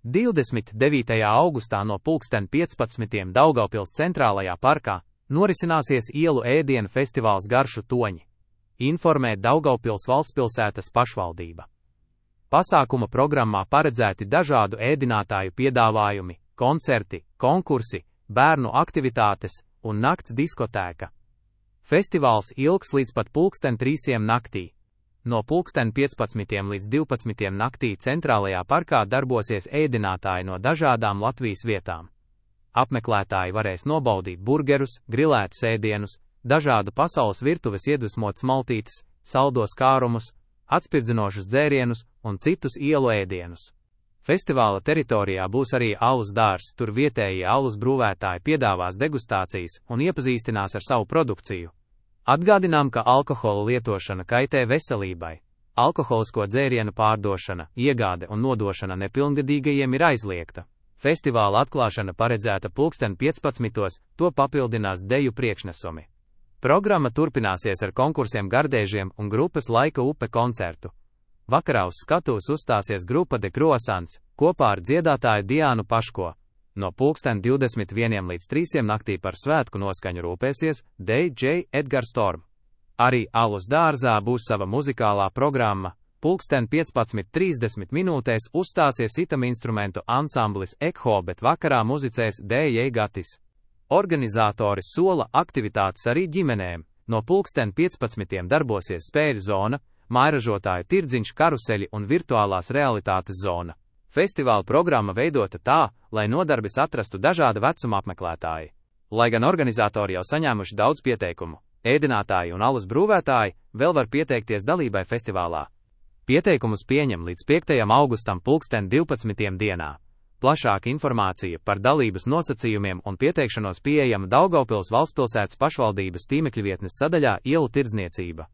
29. augustā no pulksten 15. Daugavpils centrālajā parkā norisināsies ielu ēdienu festivāls Garšu toņi, informē Daugavpils valstspilsētas pašvaldība. Pasākuma programmā paredzēti dažādu ēdinātāju piedāvājumi, koncerti, konkursi, bērnu aktivitātes un nakts diskotēka. Festivāls ilgs līdz pat pulksten 3 naktī. No pulksten 15 līdz 12 naktī centrālajā parkā darbosies ēdinātāji no dažādām Latvijas vietām. Apmeklētāji varēs nobaudīt burgerus, grilētus ēdienus, dažādu pasaules virtuves iedvesmotas maltītes, saldos kārumus, atspirdzinošus dzērienus un citus ielu ēdienus. Festivāla teritorijā būs arī alus dārzs, tur vietējie alus brūvētāji piedāvās degustācijas un iepazīstinās ar savu produkciju. Atgādinām, ka alkohola lietošana kaitē veselībai. Alkoholisko dzērienu pārdošana, iegāde un nodošana nepilngadīgajiem ir aizliegta. Festivāla atklāšana paredzēta pulksten 15, to papildinās deju priekšnesumi. Programma turpināsies ar konkursiem gardēžiem un grupas Laika upe koncertu. Vakarā uz skatuves uzstāsies grupa De Croissants, kopā ar dziedātāju Diānu Paško. No pulksten 21 līdz 3 naktī par svētku noskaņu rūpēsies DJ Edgars Storm. Arī alus dārzā būs sava muzikālā programma. Pulksten 15:30 uzstāsies sitam instrumentu ansamblis Ekho, bet vakarā muzicēs DJ Gatis. Organizatori sola aktivitātes arī ģimenēm. No pulksten 15 darbosies spēļu zona, mājražotāju tirdziņš, karuseļi un virtuālās realitātes zona. Festivāla programma veidota tā, lai nodarbes atrastu dažāda vecuma apmeklētāji. Lai gan organizatori jau saņēmuši daudz pieteikumu, ēdinātāji un alus brūvētāji vēl var pieteikties dalībai festivālā. Pieteikumus pieņem līdz 5. augustam pulksten 12 dienā. Plašāka informācija par dalības nosacījumiem un pieteikšanos pieejama Daugavpils valstspilsētas pašvaldības tīmekļvietnes sadaļā Ielu tirdzniecība.